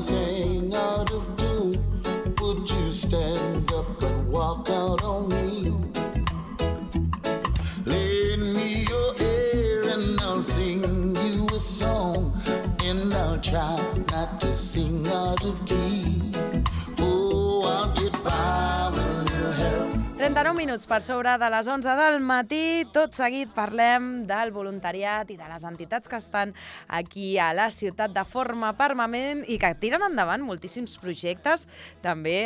sang out of tune, would you stand up and walk out on me? Lend me your ear and I'll sing you a song, and I'll try not to sing out of key. Oh, I'll get by with a little help. 39 minuts per sobre de les 11 del matí. Tot seguit parlem del voluntariat i de les entitats que estan aquí a la ciutat de forma permanent i que tiren endavant moltíssims projectes també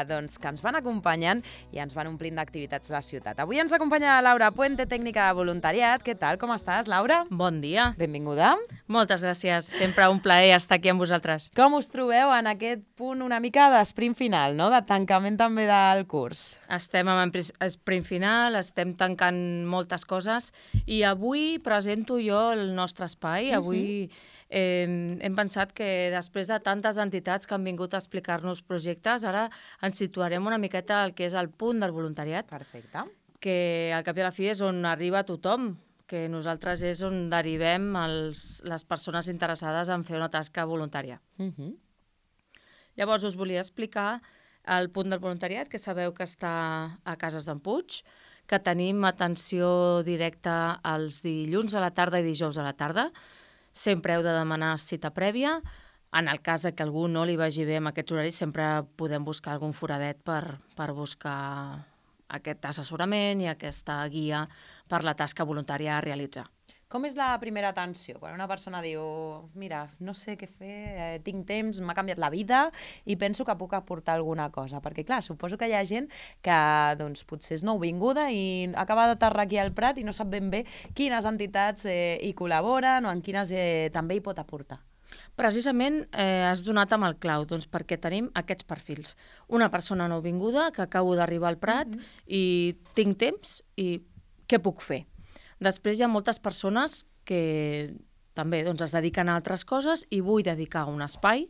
doncs, que ens van acompanyant i ens van omplint d'activitats la ciutat. Avui ens acompanya Laura Puente, tècnica de voluntariat. Què tal? Com estàs, Laura? Bon dia. Benvinguda. Moltes gràcies. Sempre un plaer estar aquí amb vosaltres. Com us trobeu en aquest punt una mica d'esprint final, no? De tancament també del curs? Estem en sprint final, estem tancant moltes coses i avui presento jo el nostre espai. Avui hem pensat que després de tantes entitats que han vingut a explicar-nos projectes, ara ens situarem una miqueta al que és el punt del voluntariat. Perfecte. Que al cap i a la fi és on arriba tothom, que nosaltres és on derivem les persones interessades en fer una tasca voluntària. Llavors us volia explicar el punt del voluntariat, que sabeu que està a Cases d'en Puig, que tenim atenció directa els dilluns a la tarda i dijous a la tarda. Sempre heu de demanar cita prèvia. En el cas que algú no li vagi bé amb aquests horaris, sempre podem buscar algun foradet per buscar aquest assessorament i aquesta guia per la tasca voluntària a realitzar. Com és la primera atenció? Quan una persona diu, mira, no sé què fer, tinc temps, m'ha canviat la vida i penso que puc aportar alguna cosa. Perquè, clar, suposo que hi ha gent que doncs, potser és nouvinguda i acaba d'aterrar aquí al Prat i no sap ben bé quines entitats hi col·laboren o en quines també hi pot aportar. Precisament has donat amb el clau, doncs, perquè tenim aquests perfils. Una persona nouvinguda que acabo d'arribar al Prat i tinc temps i què puc fer? Després hi ha moltes persones que també doncs, es dediquen a altres coses i vull dedicar un espai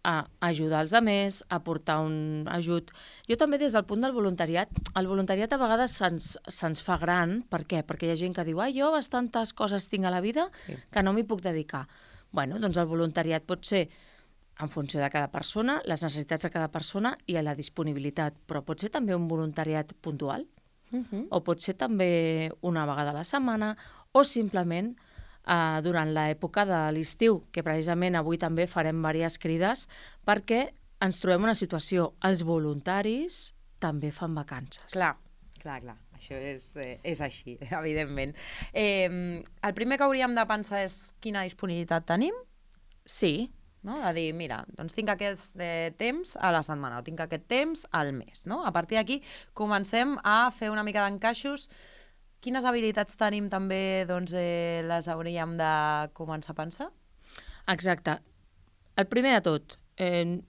a ajudar els altres, a portar un ajut. Jo també des del punt del voluntariat, el voluntariat a vegades se'ns fa gran. Per què? Perquè hi ha gent que diu jo bastantes coses tinc a la vida que no m'hi puc dedicar. Bueno, doncs el voluntariat pot ser en funció de cada persona, les necessitats de cada persona i la disponibilitat, però pot ser també un voluntariat puntual. O pot ser també una vegada a la setmana o simplement durant l'època de l'estiu, que precisament avui també farem diverses crides perquè ens trobem una situació. Els voluntaris també fan vacances. Clar. Això és així, evidentment. El primer que hauríem de pensar és quina disponibilitat tenim. Sí. No? De dir, mira, doncs tinc aquest temps a la setmana o tinc aquest temps al mes. No? A partir d'aquí comencem a fer una mica d'encaixos. Quines habilitats tenim també doncs, les hauríem de començar a pensar? Exacte. El primer de tot,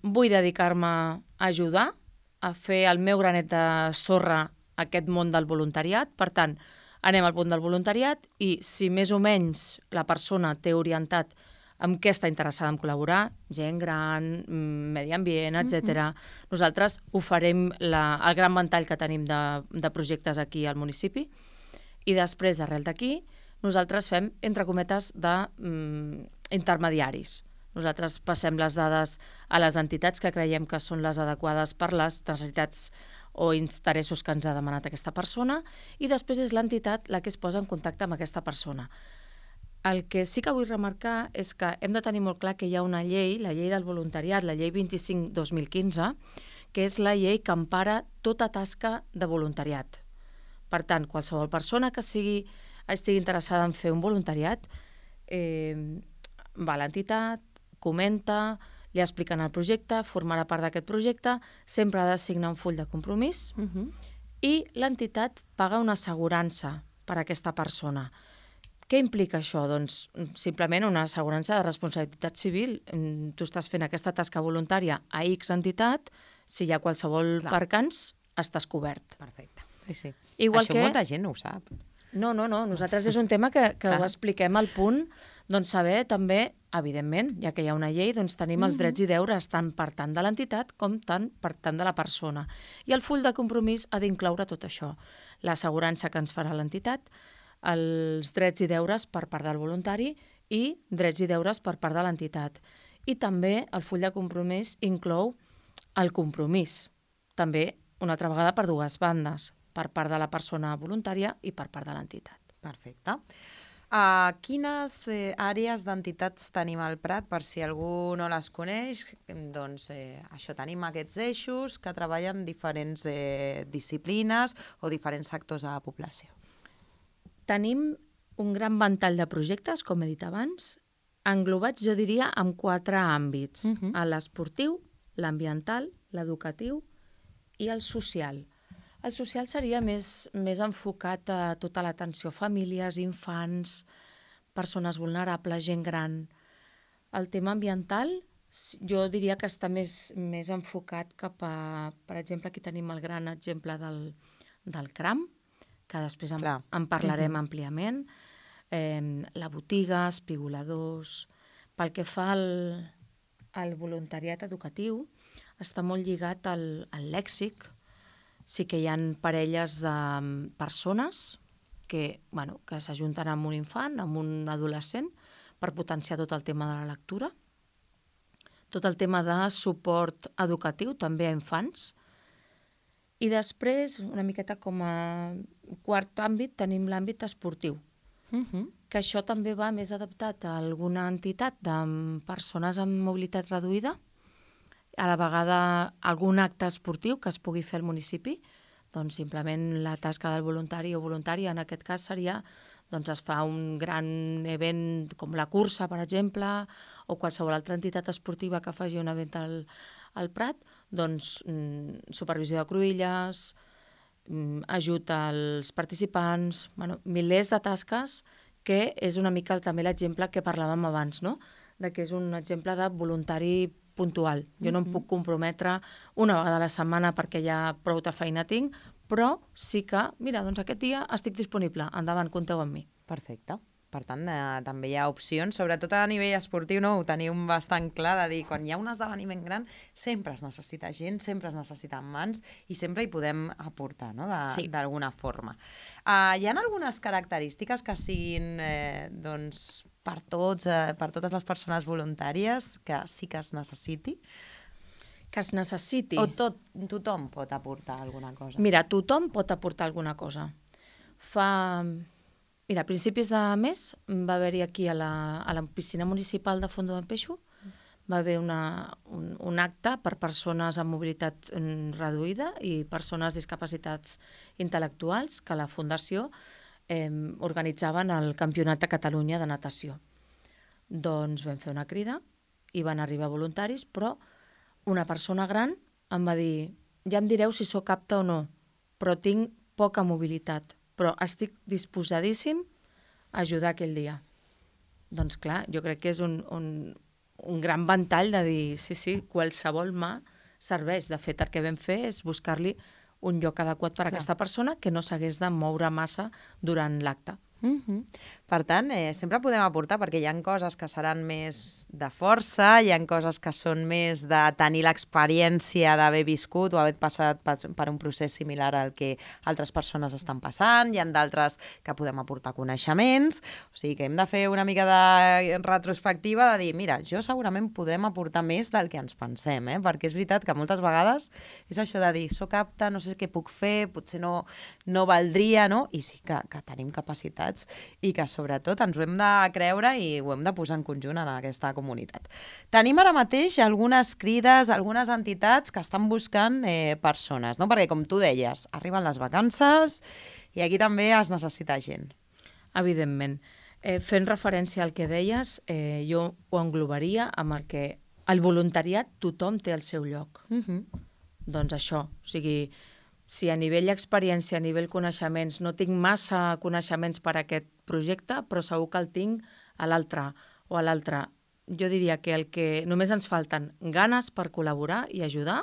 vull dedicar-me a ajudar, a fer el meu granet de sorra a aquest món del voluntariat. Per tant, anem al punt del voluntariat i si més o menys la persona té orientat amb què està interessada en col·laborar, gent gran, medi ambient, etc. Nosaltres oferim el gran ventall que tenim de projectes aquí al municipi i després, arrel d'aquí, nosaltres fem, entre cometes, d'intermediaris. Nosaltres passem les dades a les entitats que creiem que són les adequades per les necessitats o interessos que ens ha demanat aquesta persona i després és l'entitat la que es posa en contacte amb aquesta persona. El que sí que vull remarcar és que hem de tenir molt clar que hi ha una llei, la llei del voluntariat, la llei 25/2015, que és la llei que empara tota tasca de voluntariat. Per tant, qualsevol persona que estigui interessada en fer un voluntariat va a l'entitat, comenta, li expliquen el projecte, formarà part d'aquest projecte, sempre ha de signar un full de compromís i l'entitat paga una assegurança per a aquesta persona. Què implica això? Doncs simplement una assegurança de responsabilitat civil. Tu estàs fent aquesta tasca voluntària a X entitat, si hi ha qualsevol percanç, estàs cobert. Perfecte. Sí. Igual això molta gent no ho sap. No. Nosaltres és un tema que ho expliquem al punt, doncs saber també, evidentment, ja que hi ha una llei, doncs tenim els drets i deures tant per tant de l'entitat com tant per tant de la persona. I el full de compromís ha d'incloure tot això. L'assegurança que ens farà l'entitat, els drets i deures per part del voluntari i drets i deures per part de l'entitat. I també el full de compromís inclou el compromís, també una altra vegada per dues bandes, per part de la persona voluntària i per part de l'entitat. Perfecte. Quines àrees d'entitats tenim al Prat? Per si algú no les coneix, doncs això, tenim aquests eixos que treballen diferents disciplines o diferents sectors de la població. Tenim un gran ventall de projectes, com he dit abans, englobats, jo diria, en 4 àmbits. L'esportiu, l'ambiental, l'educatiu i el social. El social seria més enfocat a tota l'atenció a famílies, infants, persones vulnerables, gent gran. El tema ambiental, jo diria que està més enfocat cap a, per exemple, aquí tenim el gran exemple del CRAM, que després en parlarem àmpliament, la botiga, espigoladors. Pel que fa al voluntariat educatiu, està molt lligat al lèxic. Sí que hi ha parelles de persones que s'ajunten amb un infant, amb un adolescent, per potenciar tot el tema de la lectura, tot el tema de suport educatiu, també a infants. I després, una miqueta com a quart àmbit, tenim l'àmbit esportiu, que això també va més adaptat a alguna entitat de persones amb mobilitat reduïda, a la vegada algun acte esportiu que es pugui fer al municipi, doncs simplement la tasca del voluntari o voluntària en aquest cas seria, doncs es fa un gran event com la cursa, per exemple, o qualsevol altra entitat esportiva que faci un event al Prat, doncs supervisió de cruïlles, ajut als participants, milers de tasques, que és una mica també l'exemple que parlàvem abans, no? De que és un exemple de voluntari puntual. Jo no em puc comprometre una vegada a la setmana perquè ja prou de feina tinc, però sí que, mira, doncs aquest dia estic disponible, endavant, compteu amb mi. Perfecte. Per tant, també hi ha opcions, sobretot a nivell esportiu, no? Ho teniu bastant clar de dir, quan hi ha un esdeveniment gran, sempre es necessita gent, sempre es necessiten mans i sempre hi podem aportar, no? D'alguna forma. Hi ha algunes característiques que siguin doncs, per totes les persones voluntàries que sí que es necessiti? Que es necessiti? O tothom pot aportar alguna cosa? Mira, tothom pot aportar alguna cosa. Mira, a principis de mes va haver-hi aquí a la piscina municipal de Fondo d'en Peixo, va haver un acte per persones amb mobilitat reduïda i persones discapacitats intel·lectuals que la Fundació organitzaven el Campionat de Catalunya de natació. Doncs vam fer una crida i van arribar voluntaris, però una persona gran em va dir, ja em direu si sóc apte o no, però tinc poca mobilitat, però estic disposadíssim a ajudar aquell dia. Doncs clar, jo crec que és un gran ventall de dir, sí, qualsevol mà serveix. De fet, el que vam fer és buscar-li un lloc adequat per a aquesta persona que no s'hagués de moure massa durant l'acte. Per tant, sempre podem aportar, perquè hi ha coses que seran més de força, hi ha coses que són més de tenir l'experiència d'haver viscut o haver passat per un procés similar al que altres persones estan passant, hi ha d'altres que podem aportar coneixements, o sigui que hem de fer una mica de retrospectiva de dir, mira, jo segurament podem aportar més del que ens pensem, perquè és veritat que moltes vegades és això de dir, soc apte, no sé què puc fer, potser no valdria, no? I sí que tenim capacitat i que sobretot ens ho hem de creure i ho hem de posar en conjunt en aquesta comunitat. Tenim ara mateix algunes crides, algunes entitats que estan buscant persones, no? Perquè com tu deies, arriben les vacances i aquí també es necessita gent. Evidentment. Fent referència al que deies, jo ho englobaria amb el que el voluntariat tothom té el seu lloc. Doncs això, o sigui, si a nivell experiència, a nivell coneixements, no tinc massa coneixements per a aquest projecte, però segur que el tinc a l'altre o a l'altre. Jo diria que el que només ens falten ganes per col·laborar i ajudar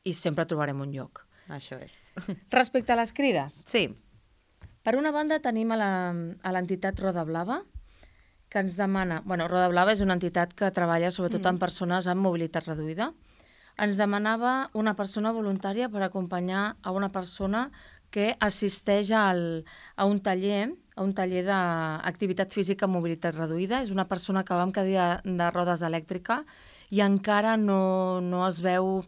i sempre trobarem un lloc. Això és. Respecte a les crides. Sí. Per una banda tenim a l'entitat Roda Blava, que ens demana... Roda Blava és una entitat que treballa sobretot amb persones amb mobilitat reduïda. Ens demanava una persona voluntària per acompanyar a una persona que assisteix a un taller d'activitat física amb mobilitat reduïda. És una persona que va amb cadira de rodes elèctrica i encara no es veu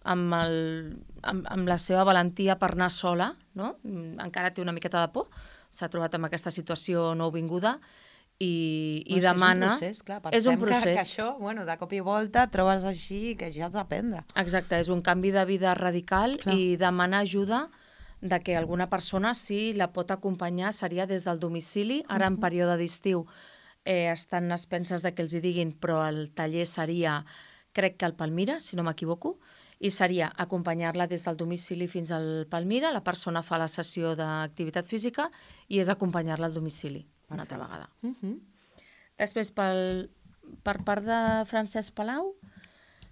amb la seva valentia per anar sola, no? Encara té una miqueta de por, s'ha trobat amb aquesta situació nouvinguda i demana... És un procés, clar. Pensem que això, de cop i volta, trobes així que ja has d'aprendre. Exacte, és un canvi de vida radical i demana ajuda de que alguna persona, si la pot acompanyar, seria des del domicili. Ara, en període d'estiu, estan a expenses de que els hi diguin, però el taller seria, crec que al Palmira, si no m'equivoco, i seria acompanyar-la des del domicili fins al Palmira, la persona fa la sessió d'activitat física i és acompanyar-la al domicili una altra vegada. Després, per part de Francesc Palau,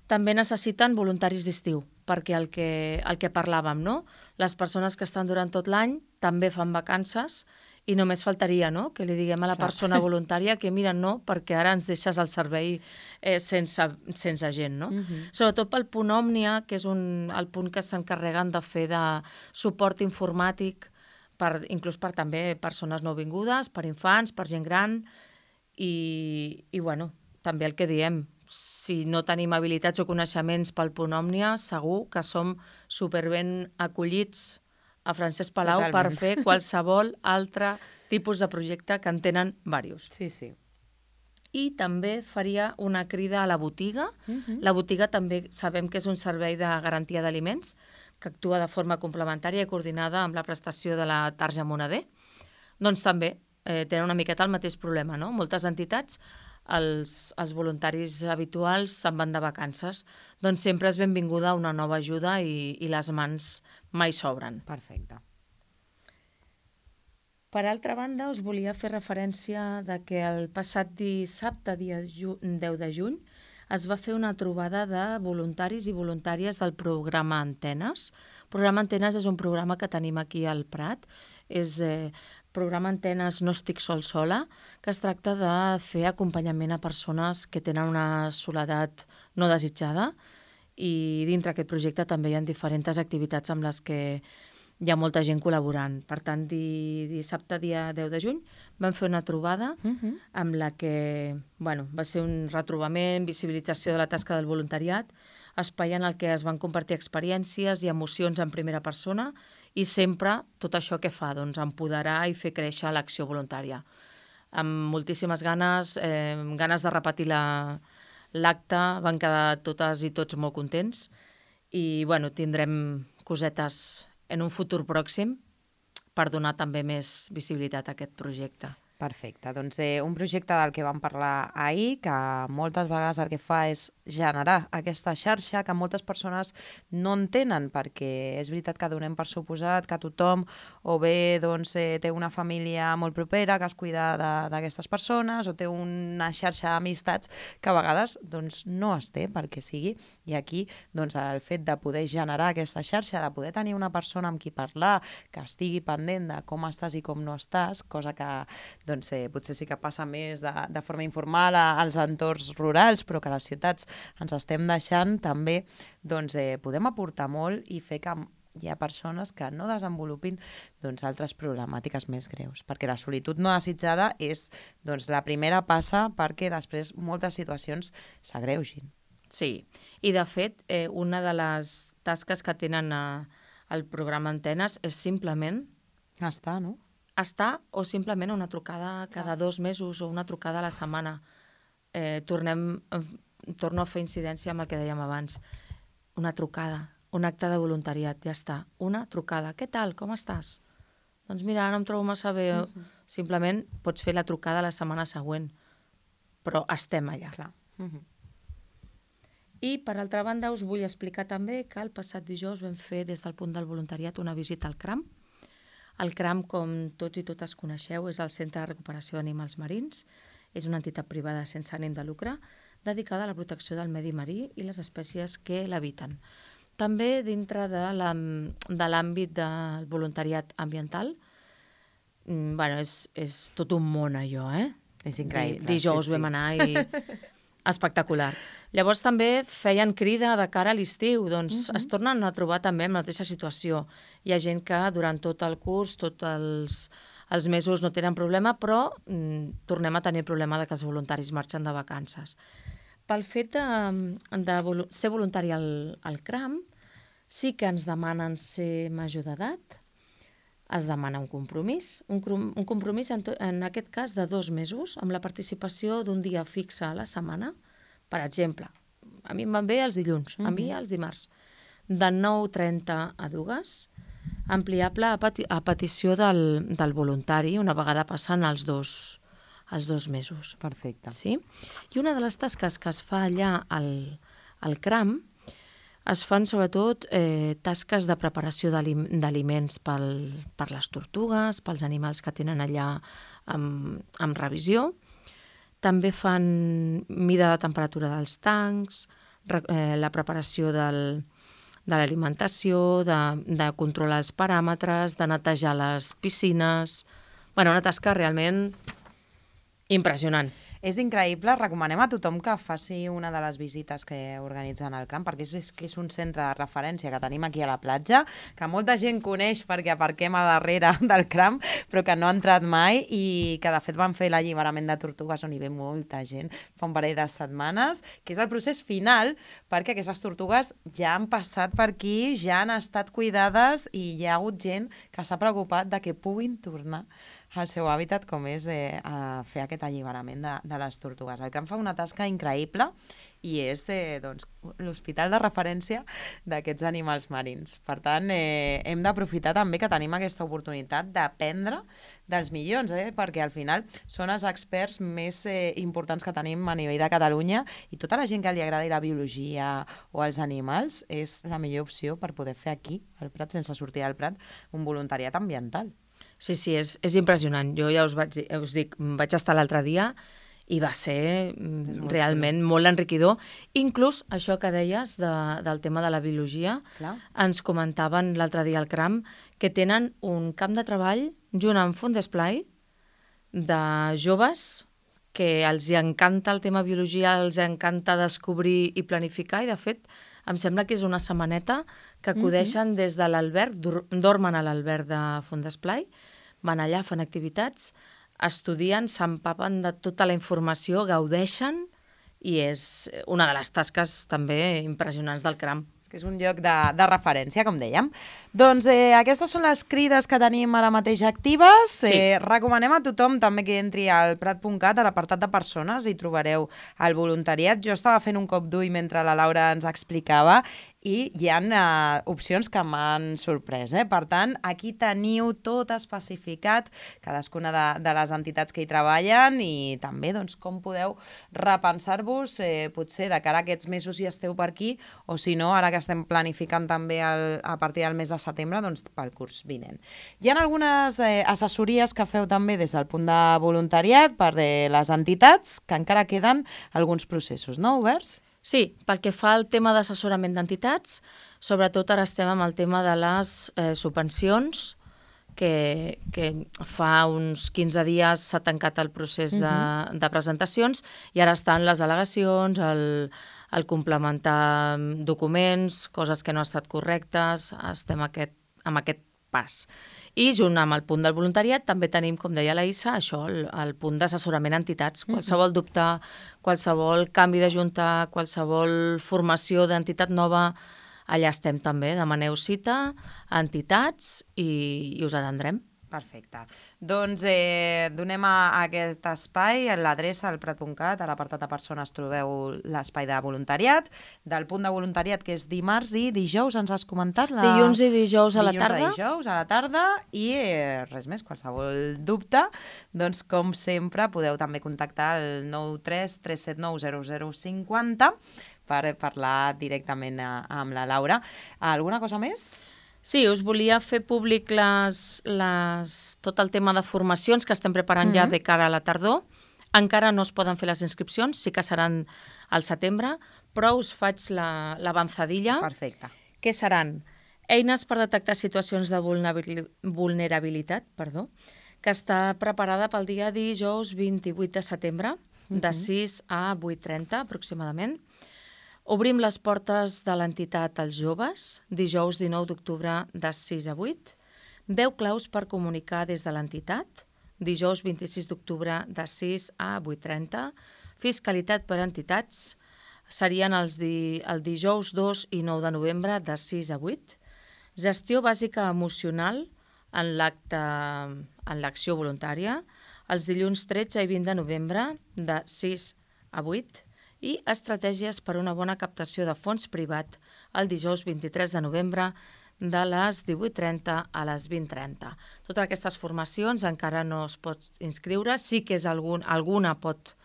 també necessiten voluntaris d'estiu, perquè el que parlàvem, no? Les persones que estan durant tot l'any també fan vacances i només faltaria, no?, que li diguem a la persona voluntària que mira, no, perquè ara ens deixes el servei sense gent, no? Sobretot pel punt Òmnia, que és el punt que s'encarreguen de fer de suport informàtic, inclús per també persones nouvingudes, per infants, per gent gran, i també el que diem, si no tenim habilitats o coneixements pel punt Òmnia, segur que som superben acollits a Francesc Palau per fer qualsevol altre tipus de projecte que en tenen diversos. Sí. I també faria una crida a la botiga. La botiga també sabem que és un servei de garantia d'aliments que actua de forma complementària i coordinada amb la prestació de la tarja moneder. Doncs també tenen una miqueta el mateix problema, no? Moltes entitats, els voluntaris habituals se'n van de vacances. Doncs sempre és benvinguda una nova ajuda i les mans mai s'obren. Perfecte. Per altra banda, us volia fer referència de que el passat dissabte, dia 10 de juny, es va fer una trobada de voluntaris i voluntàries del programa Antenes. El programa Antenes és un programa que tenim aquí al Prat. És programa Antenes No estic sola, que es tracta de fer acompanyament a persones que tenen una soledat no desitjada, i dintre aquest projecte també hi ha diferents activitats amb les que hi ha molta gent col·laborant. Per tant, dissabte, dia 10 de juny, vam fer una trobada amb la que va ser un retrobament, visibilització de la tasca del voluntariat, espai en el que es van compartir experiències i emocions en primera persona i sempre tot això que fa, doncs, empoderar i fer créixer l'acció voluntària. Amb moltíssimes ganes de repetir l'acte, van quedar totes i tots molt contents i tindrem cosetes en un futur pròxim per donar també més visibilitat a aquest projecte. Perfecte. Doncs un projecte del que vam parlar ahir, que moltes vegades el que fa és generar aquesta xarxa que moltes persones no entenen, perquè és veritat que donem per suposat que tothom o bé té una família molt propera que es cuida d'aquestes persones o té una xarxa d'amistats que a vegades no es té perquè sigui. I aquí el fet de poder generar aquesta xarxa, de poder tenir una persona amb qui parlar, que estigui pendent de com estàs i com no estàs, cosa que potser sí que passa més de forma informal als entorns rurals, però que a les ciutats ens estem deixant, també podem aportar molt i fer que hi ha persones que no desenvolupin altres problemàtiques més greus, perquè la solitud no desitjada és la primera passa perquè després moltes situacions s'agreugin. Sí, i de fet, una de les tasques que tenen al programa Antenes és simplement estar, no? Estar o simplement una trucada cada 2 mesos o una trucada a la setmana. Torno a fer incidència amb el que dèiem abans. Una trucada, un acte de voluntariat, ja està. Una trucada. Què tal? Com estàs? Doncs mira, no em trobo massa bé. Simplement pots fer la trucada la setmana següent, però estem allà. Clar. I, per altra banda, us vull explicar també que el passat dijous vam fer des del punt del voluntariat una visita al CRAM. El CRAM, com tots i totes coneixeu, és el Centre de Recuperació d'Animals Marins. És una entitat privada sense ànim de lucre dedicada a la protecció del medi marí i les espècies que l'habiten. També dintre de l'àmbit del voluntariat ambiental, és tot un món allò, És increïble. Dijous vam anar i espectacular. Llavors també feien crida de cara a l'estiu, doncs es tornen a trobar també en la mateixa situació. Hi ha gent que durant tot el curs, tots els mesos no tenen problema, però tornem a tenir el problema de que els voluntaris marxen de vacances. pel fet de ser voluntari al CRAM, sí que ens demanen ser major d'edat, es demana un compromís, un compromís en aquest cas de 2 mesos, amb la participació d'un dia fixe a la setmana. Per exemple, a mi em van bé els dilluns, a mi els dimarts, de 9:30 a 2, ampliable a petició del voluntari, una vegada passen els dos mesos. Perfecte. Sí? I una de les tasques que es fa allà al CRAM es fan sobretot tasques de preparació d'aliments per les tortugues, pels animals que tenen allà amb revisió. També fan mida de temperatura dels tancs, la preparació de l'alimentació, de controlar els paràmetres, de netejar les piscines. Bueno, una tasca realment impressionant. És increïble, recomanem a tothom que faci una de les visites que organitzen al CRAM, perquè és un centre de referència que tenim aquí a la platja, que molta gent coneix perquè aparquem a darrere del CRAM, però que no ha entrat mai i que de fet van fer l'alliberament de tortugues on hi ve molta gent fa un parell de setmanes, que és el procés final, perquè aquestes tortugues ja han passat per aquí, ja han estat cuidades i hi ha hagut gent que s'ha preocupat de que puguin tornar al seu hàbitat, com és a fer aquest alliberament de les tortugues. El CRAM fa una tasca increïble i és l'hospital de referència d'aquests animals marins. Per tant, hem d'aprofitar també que tenim aquesta oportunitat d'aprendre dels millors, perquè al final són els experts més importants que tenim a nivell de Catalunya i tota la gent que li agradi la biologia o els animals és la millor opció per poder fer aquí, al Prat, sense sortir del Prat, un voluntariat ambiental. Sí, és impressionant. Jo ja us dic, vaig estar l'altre dia i va ser realment molt enriquidor. Inclús això que deies del tema de la biologia, ens comentaven l'altre dia al CRAM que tenen un camp de treball junt amb Fundesplai de joves que els encanta el tema biologia, els encanta descobrir i planificar i de fet em sembla que és una setmaneta que acudeixen des de l'alberg, dormen a l'alberg de Fundesplai, van allà, fan activitats, estudien, s'empapen de tota la informació, gaudeixen i és una de les tasques també impressionants del CRAM. Que és un lloc de referència, com dèiem. Doncs aquestes són les crides que tenim ara mateix actives. Sí. Recomanem a tothom també que entri al prat.cat, a l'apartat de persones, i trobareu el voluntariat. Jo estava fent un cop d'ull mentre la Laura ens explicava i hi ha opcions que m'han sorprès. Per tant, aquí teniu tot especificat, cadascuna de les entitats que hi treballen i també com podeu repensar-vos potser de cara a aquests mesos si esteu per aquí o si no, ara que estem planificant també a partir del mes de setembre, pel curs vinent. Hi ha algunes assessories que feu també des del punt de voluntariat per les entitats, que encara queden alguns processos, no, oberts? Sí, pel que fa al tema d'assessorament d'entitats, sobretot ara estem amb el tema de les subvencions, que fa uns 15 dies s'ha tancat el procés de presentacions i ara estan les al·legacions, el complementar documents, coses que no han estat correctes, estem amb aquest pas. I junt amb el punt del voluntariat també tenim, com deia la Issa, això, el punt d'assessorament a entitats. Qualsevol dubte, qualsevol canvi de junta, qualsevol formació d'entitat nova, allà estem també. Demaneu cita a entitats i us atendrem. Perfecte. Doncs donem a aquest espai l'adreça al prat.cat, a l'apartat de persones trobeu l'espai de voluntariat, del punt de voluntariat que és dimarts i dijous, ens has comentat? Dilluns i dijous a la tarda. Dilluns i dijous a la tarda i res més, qualsevol dubte, doncs com sempre podeu també contactar al 93 379 0050 per parlar directament amb la Laura. Alguna cosa més? Sí, us volia fer públic tot el tema de formacions que estem preparant ja de cara a la tardor. Encara no es poden fer les inscripcions, sí que seran al setembre, però us faig l'avançadilla. Perfecte. Que seran eines per detectar situacions de vulnerabilitat, que està preparada pel dia dijous 28 de setembre, de 6 a 8:30 aproximadament. Obrim les portes de l'entitat als joves, dijous 19 d'octubre de 6 a 8. 10 claus per comunicar des de l'entitat, dijous 26 d'octubre de 6 a 8:30. Fiscalitat per entitats, serien el dijous 2 i 9 de novembre de 6 a 8. Gestió bàsica emocional en l'acció voluntària, els dilluns 13 i 20 de novembre de 6 a 8 i estratègies per una bona captació de fons privat el dijous 23 de novembre de les 18:30 a les 20:30. Totes aquestes formacions encara no es pot inscriure, sí que alguna pot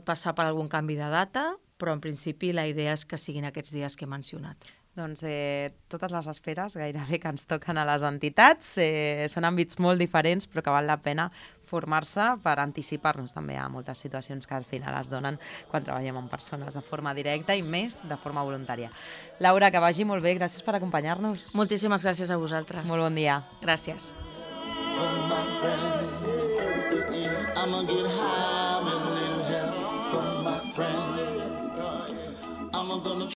passar per algun canvi de data, però en principi la idea és que siguin aquests dies que he mencionat. Doncs totes les esferes gairebé que ens toquen a les entitats són àmbits molt diferents, però que val la pena formar-se per anticipar-nos també a moltes situacions que al final es donen quan treballem amb persones de forma directa i més de forma voluntària. Laura, que vagi molt bé, gràcies per acompanyar-nos. Moltíssimes gràcies a vosaltres. Molt bon dia. Gràcies.